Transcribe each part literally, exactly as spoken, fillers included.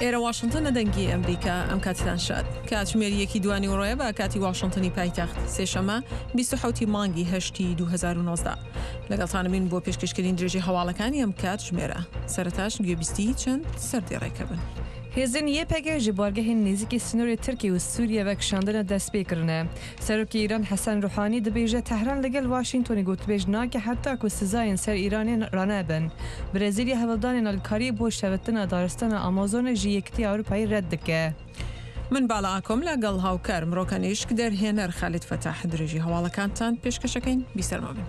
ئێرە واشنتن دەنگی ئەمریکا، ئەم کاتتان شاد. کاتژمێر یەکی دوانی ڕۆیە بە کاتی واشنتنی پایتەخت، سێشەمە بیست و حەوتی مانگی هەشتی دوو هەزار و نۆزدە. لەگەڵتانمین بۆ پێشکەشکردنی درێژەی هەواڵەکانی ئەم کاتژمێرە. سەرەتاش گوێبیستی چەند سەردێڕێکە بن. هێزên YPG ji bargehên nêzîkî sînorê Tirkiye û Sûriye vekişandina dest pê kirine. Serokê Îran Hesen Ruhanî dibêje Tehran li gel Washingtonê gotûbêj nake heta ku sizayên ser Îranê ranebin. Brezîlya hewldanên alîkariyê bo şevetina daristana Amazonê ji Yekîtiya Ewropayê red dike. من باڵا ئاکۆم لەگەڵ هاوکار مرۆکەنیشک دەرهێنەر خالید فەتاح درێژی هەواڵەکانتان پێشکەشەکەین. بیسەرما بن.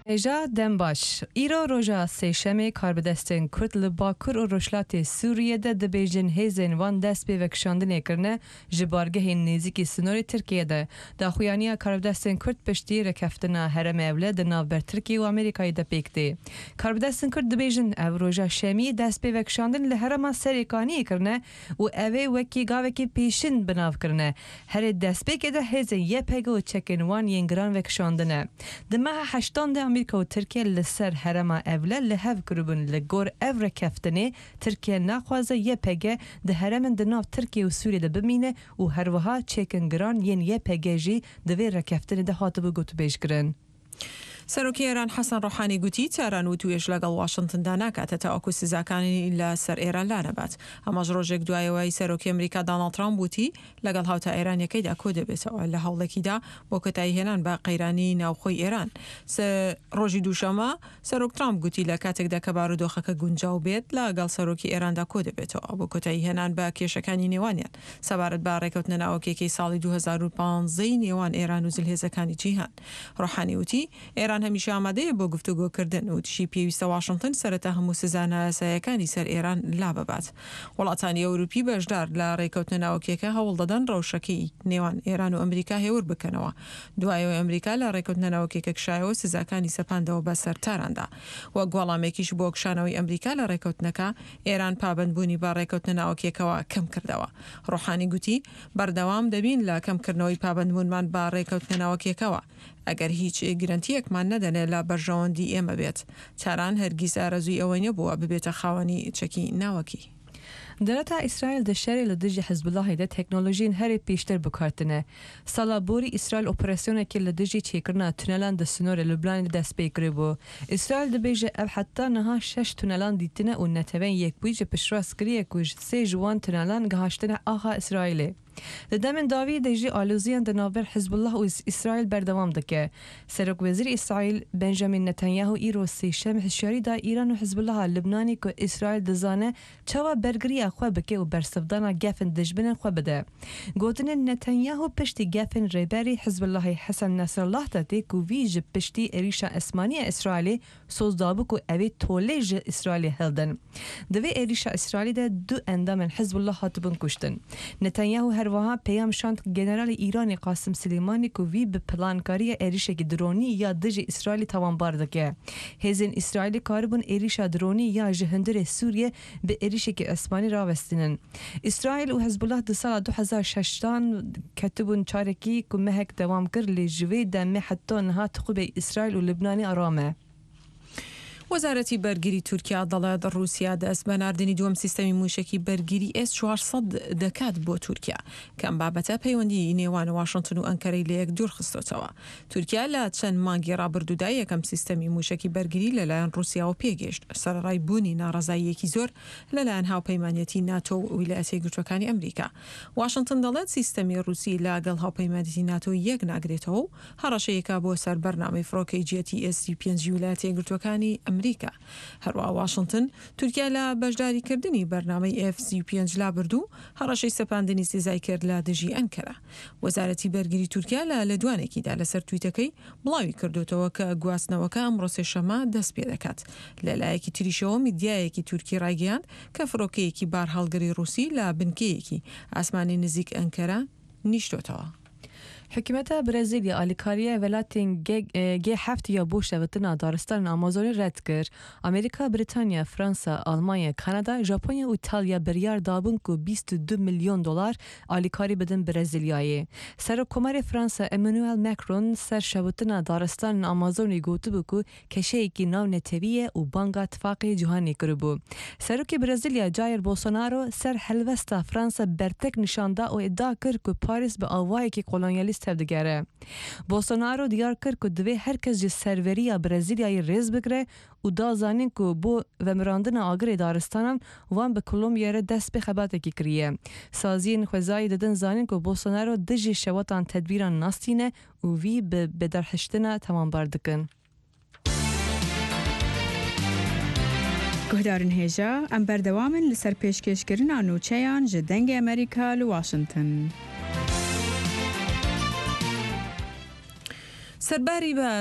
Hêja dem baş. Îro roja sêşemê karbidestên Kurd li Bakur û Rojhilatê Sûriye de dibêjin hêzên wan dest pê vekişandinê kirine ji bargehên nêzîkî sînorê Tirkiye de. Daxuyaniya karbidestên Kurd piştî rekeftina herêmê ewle di navber Tirkiye û Amerîkayê de pêk tê. Karbidestên Kurd dibêjin ev roja şemiyê dest pê vekişandin li herêma Serêkaniyê kirine û ev ê wekî gavekî pêşin binav kirine. Herê destpêkê de hêzên YPG û çekên wan yên giran vekişandine. Di meha heştan de Amerîka û Tirkiye li ser herêma ewle li hev kiribûn li gor ev rekeftinê Tirkiye naxwaze YPG di herêmên di nav Tirkiye û Sûriye de bimîne û her wiha çekên giran yên YPG jî di vê rekeftinê de hatibû gotûbêjkirin. سەرۆکی ئێران حەسەن ڕۆحانی گوتی تاران وتوێژ لەگەڵ واشنتندا ناکاتە تاوەکو سزاکانی لەسەر ئێران لانەبات. ئەمەش ڕۆژێک دوایەوەی سەرۆکی ئەمریکا داناڵد ترامپ وتی لەگەڵ هاوتا ئێرانیەکەیدا کۆ دەبێتەوە لە هەوڵێکیدا بۆ کۆتاییهێنان بە قەیرانی ناوخۆی ئێران. ڕۆژی دووشەمە سەرۆک ترامپ گوتی لە کاتێکدا کە بارودۆخەکە گونجاو بێت لەگەڵ سەرۆکی ئێراندا کۆ دەبێتەوە بۆ کۆتاییهێنان بە کێشەکانی نێوانیان سەبارەت بە ڕێکەوتنە ناوەکیەکەی ساڵی دوو هەزار و پانزەی نێوان ئێران و زلهێزەکانی جیهان. ڕۆحانی وتی ئێران هەمیشە ئامادەیە بۆ گفتوگۆکردن وتیشی پێویستە واشنگتن سەرەتا هەموو سزا نایاساییەکانی سەر ئێران لا ببات. وڵاتانی ئەوروپی بەشدار لە ڕێکەوتنە ناوەکیەکە هەوڵ دەدەن ڕەوشەکەی نێوان ئێران و ئەمریکا هێور بکەنەوە. دوایەوەی ئەمریکا لە ڕێکەوتنە ناوەکیەکە کشایەوە سزاکانی سەپاندەوە بەسەر تاراندا. وەک وەڵامێکیش بۆ کشانەوەی ئەمریکا لە ڕێکەوتنەکە ئێران پابەندبوونی بە ڕێکەوتنە ناوەکیەکەوە کەم کردەوە. ڕۆحانی گوتی بەردەوام دەبین لە کەمکردنەوەی پابەندبوونمان بە ڕێکەوتنە ناوەکیەکەوە ئەگەر هیچ گرنتیەکمان نەدەنێ لە بەرژەوەندی ئێمە بێت. تاران هەرگیز ئارەزووی ئەوەی نەبووە ببێتە خاوەنی چەکی ناوەکی. Dewleta İsrail di şerê li dijî Hizbullahê de teknolojiyên herî pêştir bikartine. Sala borî İsrail operasyonekê li dijî çêkirina tunelan di sînorê Lubnanê de dest pê kiribû. İsrail dibêje ev heta niha şeş tunelan dîtine û neteweyên yekbûyî ji piştrast kiriye ku ji sê ji wan tunelan gihaştine axa İsraîlê. Di demên dawî de jî aloziyên di navber Hizbullah û İsrail berdewam dike. Serokwezîrê İsrail Benjamin Netanyahu îro sêşem hişyarî da Îran û Hizbullaha Lubnanê ku İsrail dizane çawa bergiriya xwe bike û bersivdana gefên dijminên xwe bide. Gotinên Netanyahu piştî gefên rêberê Hizbullahê Hesen Nasrallah de tê ku wî ji piştî êrişa esmanî ya İsraîlê soz dabû ku ew ê tolê ji İsraîlê hildin. Di vê êrişa İsraîlê de du endamên Hizbullah hatibûn kuştin. Netanyahu her wiha peyam şand generalê Îranê Qasim Silêmanî ku wî bi plankariya êrişekî dronî ya dijî İsraîlê tawanbar dike. Hêzên İsraîlê karibûn êrişa dronî ya ji hundirê Sûriye bi êrişekî esmanî rawestînin. İsraîl û Hizbullah di sala du hezar şeştan ketibûn çarekî ku mehek dewam kir lê ji vê demê heta niha tixûbê İsraîl û Lubnanê aram e. وەزارەتی بەرگری تورکیا دەڵێت ڕووسیا دەست بە ناردنی دووەم سیستەمی موشەکی بەرگری ئێس چوار سەد دەکات بۆ تورکیا کە ئەم بابەتە پەیوەندی نێوان واشنگتن و ئەنکەرەی لە یەک دوور خستۆتەوە. تورکیا لە چەند مانگی ڕابردوودا یەکەم سیستەمی موشەکی بەرگری لەلایەن ڕووسیاوە پێگەیشت، سەرەڕای بوونی ناڕەزاییەکی زۆر لەلایەن هاوپەیمانیەتی ناتۆ و ویلایەتە یەکگرتووەکانی ئەمریکا. واشنگتن دەڵێت سیستەمی ڕووسی لەگەڵ هاوپەیمانیەتی ناتۆ یەک ناگرێتەوە و هەڕەشەیەکە بۆ سەر بەرنامەی فڕۆکەی جێتی ئێس سی پێنجی ویلایەتە یەکگرتووەکانی ئەمریکا. هەروەها واشنگتن تورکیا لە بەشداریکردنی بەرنامەی ئێف سی پێنج لابرد و هەڕەشەی سەپاندنی سزای کرد لە دژی ئەنکەرە. وەزارەتی بەرگری تورکیا لە لێدوانێکیدا لەسەر تویتەکەی بڵاوی کردوتەوە کە گواستنەوەکە ئەمڕۆ سێشەمە دەست پێ دەکات. لەلایەکی تریشەوە میدیایەکی تورکی ڕایگەیاند کە فڕۆکەیەکی بارهەڵگری ڕووسی لە بنکەیەکی ئاسمانی نزیک ئەنکەرە نیشتۆتەوە. Hikûmeta Brezîlya alîkariya welatên G heft ya bo şevitina daristanên Amazonê red kir. Amerîka, Brîtanya, Fransa, Almanya, Kanada, Japonya û İtalya biryar dabûn ku bîst û du milyon dolar alîkarî bidin Brezîlyayê. Serokkomarê Fransa Emmanuel Macron ser şevitina daristanên Amazonê gotibû ku keşeyekî navnetewî ye û banga tifaqê cîhanê kiribû. Serokê Brezîlya Jair Bolsonaro ser helwesta Fransa bertek nîşan da û îdia kir ku Paris bi awayekî kolonyalîst tev digere. Bolsonaro diyar kir ku divê her kes ji serveriya Brezîlyayê rêz bigire û da zanîn ku bo vemirandina agirê daristanan wan bi Kolombiyayê re dest bi xebatekî kiriye. Saziyên xwezayî didin zanîn ku Bolsonaro dijî şewatan tedbîran nastîne û wî bi bederhiştina tawanbar dikin. Guhdarên hêja, em berdewam in li ser pêşkêşkirina nûçeyan ji Dengê Amerîka li Washington. سەرباری بە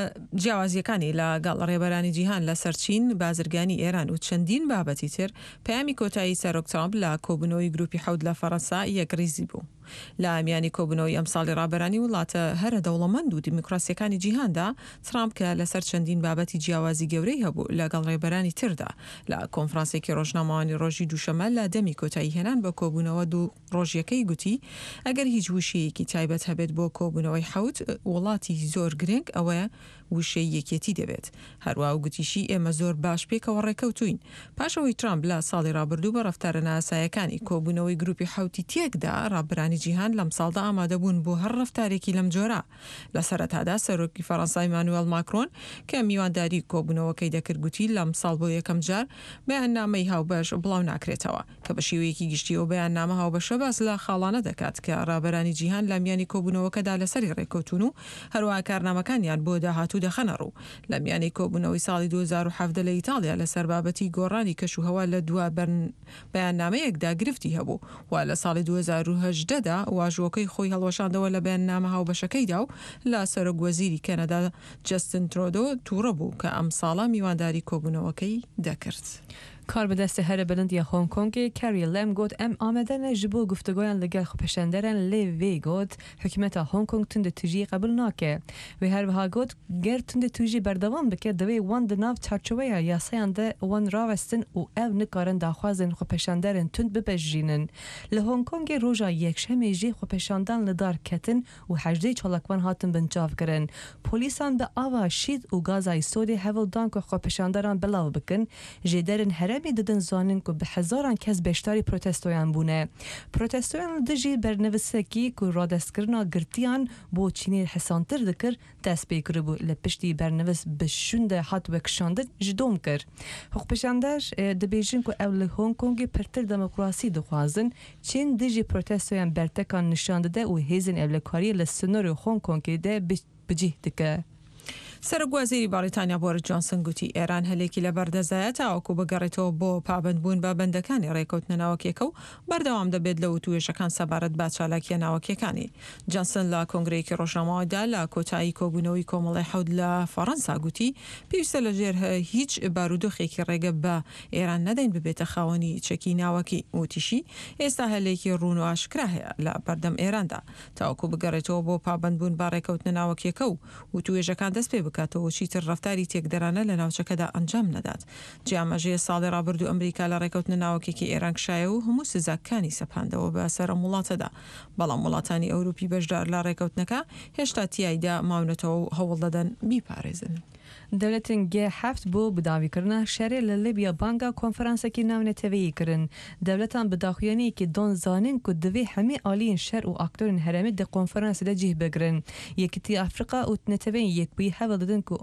جیاوازیەکانی لەگەڵ ڕێبەرانی جیهان لەسەر چین، بازرگانی ئێران و چەندین بابەتی تر، پەیامی کۆتایی سەرۆک ترامپ لە کۆبوونەوەی گروپی حەوت لە فەرەنسا یەکڕیزی بوو. لە میانی کۆبوونەوەی ئەمساڵی ڕابەرانی وڵاتە هەرە دەوڵەمەند و دیموکراسیەکانی جیهاندا، ترامپ کە لەسەر چەندین بابەتی جیاوازی گەورەی هەبوو لەگەڵ ڕێبەرانی تردا لە کۆنفرانسێکی ڕۆژنامەوانی ڕۆژی دووشەممە لە دەمی کۆتایی هێنان بە کۆبوونەوە دوو ڕۆژیەکەی گوتی ئەگەر هیچ وشەیەکی تایبەت هەبێت بۆ کۆبوونەوەی حەوت وڵاتی زۆر گرنگ ئەوەیە وشەی یەکێتی دەبێت. هەروە و گوتیشی ئێمە زۆر باش پێکەوە ڕێکەوتوین. پاشەوەی ترامپ لە ساڵی ڕابردوو بە ڕەفتارە ناسایەکانی کۆبوونەوەی گروپی حەوتی تێکدا، ڕابەرانی جیهان لەم ساڵدا ئامادەبوون بۆ هەر ڕەفتارێکی لەم جۆرە. لە سەرەتادا سەرۆکی فەرەنسا ئیمانوێل ماکرۆن کە میوانداری کۆبوونەوەکەی دەکرد گوتی لەم ساڵ بۆ یەکەم جار بەیاننامەی هاوبەش بڵاو ناکرێتەوە کە بە شێوەیەکی گشتیەوە بەیاننامە هاوبەشە باس لە خاڵانە دەکات کە ڕابەرانی جیهان لە میانی کۆبوونەوەکەدا لەسەری ڕێککەوتون و هەروەها کارنامەکانیان بۆ داهاتوو دەخەنە ڕوو. لە میانی کۆبوونەوەی ساڵی دوو هەزار و حەڤدە لە ئیتاڵیا لەسەر بابەتی گۆڕانی کەشوهەوا لە دوا بەیاننامەیەکدا گرفتی هەبوو و لە ساڵی دوو هەزار و هەژدەدا واژووەکەی خۆی هەڵوەشاندەوە لە بەیاننامە هاوبەشەکەیدا و لە سەرۆک وەزیری کەنەدا جەستن ترۆدۆ تووڕە بوو کە ئەم ساڵە میوانداری کۆبوونەوەکەی دەکرد. کاربەدەستە هەرە بلند یا هۆنگ کۆنگێ کاری لەم گوت ئەم ئامادە ne ji bo گفتوگۆیان لەگەڵ خۆپێشاندەران lê vê got hikûmeta Hong Kong tund tûjiyê qebûl nake. Wê her wiha got ger tund tûjî berdewam bike divê wan di nav çarçoveya yasayan de wan rawestin û ew nikarin daxwazên xwepêşanderên tund bipejirînin. Li Hong Kongê roja yekşemê jî xwepêşandan li dar ketin û hejdeh çalakvan hatin binçavkirin. Polîsan bi ava şîd û gaza îsodê hewl dan ku xwepêşanderan belav bikin. Jêderên herêmê didin zanîn ku bi hezaran kes beşdarî protestoyan bûne. Protestoyan li dijî bernevisekî ku radestkirina girtiyan bo Çînê hesantir dikir dest pê kiribû. Li piştî bernevis bi şûnde hat vekişandin ji dom kir. Xwepêşander dibêjin ku ew li Hong Kongê pirtir demokrasî dixwazin. Çîn dijî protestoyan bertekan nîşan dide û hêzên ewlekariyê li sinorê Hong Kongê de bicih dike. سەرۆک وەزیری بەریتانیا بۆریس جۆنسن گوتی ئێران هەلێکی لەبەردەزایە تاوەکو بگەڕێتەوە بۆ پابەندبوون بە بەندەکانی ڕێکەوتنە ناوەکیەکە و بەردەوام دەبێت لە وتوێژەکان سەبارەت بە چالاکیە ناوەکیەکانی. جۆنسن لە کۆنگرەیەکی ڕۆژنامەوەدا لە کۆتایی کۆبوونەوەی کۆمەڵی حەوت لە فەڕەنسا گوتی پێویستە لەژێر هیچ بارودۆخێکی ڕێگە بە ئێران نەدەین ببێتە خاوەنی چەکی ناوەکی. وتیشی ئێستا هەلێکی ڕوون و ئاشکرا هەیە لە بەردەم ئێراندا تاوەکو بگەڕێتەوە بۆ پابەندبوون بە ڕێکەوتنە ناوەکیەکە و وتوێژەکان دەست پێ بکاتەوە چیتر ڕەفتاری تێکدەرانە لە ناوچەکەدا ئەنجام نەدات. جیامەژەیە ساڵی ڕابردوو ئەمریکا لە ڕێکەوتنە ناوەکێکی ئێران کشایە و هەموو سزاکانی سەپاندەوە بە سەر ئەم وڵاتەدا، بەڵام وڵاتانی ئەوروپی بەشدار لە ڕێکەوتنەکە هێشتا تیایدا ماونەتەوە و هەوڵ دەدەن بیپارێزن. Dewletên G heft bo bidawîkirina şerê li Libya banga konferansekî navneteweyî kirin. Dewletan bi daxuyaniyekê dan zanîn ku divê hemî aliyên şer û aktorên herêmê di konferansê de cih bigirin. Yekîtiya Afrika û Neteweyên Yekbûyî hewl didin ku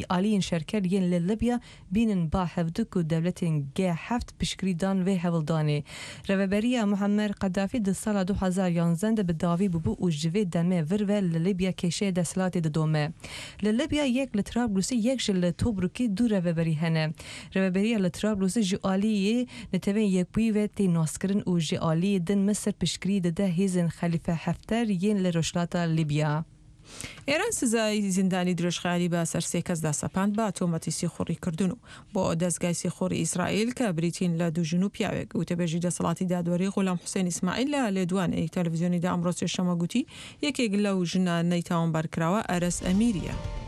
aliyên şerker yên li Libya bînin ba hevdu ku dewletên G heft piştgirî dan vê hewldanê. Rêveberiya Muammer Qedafî di sala du hezar yanzdeh de bi dawî bûbû û ji vê demê vir ve li Libya kêşeya desthilatê didome. Li Libya yek li Trablusê yek ji li Tobrukê du rêveberî hene. Rêveberiya li Trablusê ji aliyê Neteweyên Yekbûyî ve tê naskirin û ji aliyê din Misir piştgirî dide hêzên Xelîfe Hefter yên li Rojhilata Libya. ئێران سزای زیندانی درێژخایەنی بە سەر سێ کەسدا سەپاند بە تۆمەتی سیخوڕیکردن و بۆ دەزگای سیخوڕی ئیسرائیل کە بریتین لە دوو ژن و پیاوێک. وتەبێژی دەسەڵاتی دادوەری غولام حوسێن ئیسماعیل لە لێدوانێکی تەلەفزیۆنیدا ئەمڕۆ سێشەممە گوتی یەکێک لەو ژنانەی تاوانبارکراوە ئەرەس ئەمیرییە.